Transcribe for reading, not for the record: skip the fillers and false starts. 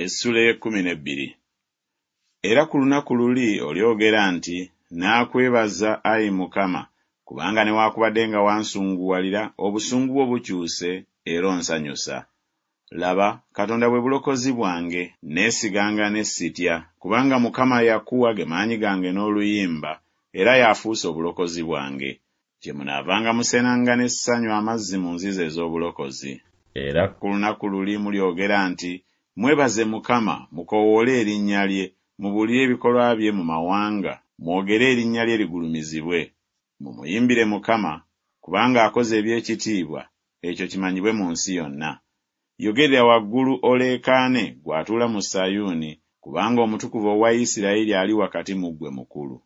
Essula ey'ekkumi n'ebbiri. Era ku lunaku luli olyogera nti Naakwebaza, ayi Mukama, kubanga newakubadde nga wansunguwalira, obusungu bwo bukyuse, era onsanyusa. Laba, Katonda bwe bulokozi bwange, neesiganga ne sitya, kubanga Mukama Yakuwa ge maanyi gange n'oluyimba, era y'afuuse obulokozi bwange. Kyemunaavanga musenanga n'essanyu amazzi mu nzizi ez'obulokozi. Era ku lunaku luli mulyogera nti Mwebaze Mukama, mukoowoole erinnya lye, mubuulire ebikolwa bye mu mawanga, mwogere erinnya lye ligulumizibwe. Mumuyimbire Mukama, kubanga akoze eby'ekitiibwa, ekyo kimanyibwe mu nsi yonna. Yogerera waggulu oleekaane, ggwe atuula mu Sayuuni, kubanga Omutukuvu owa Isiraeri ali wakati mu ggwe mukulu.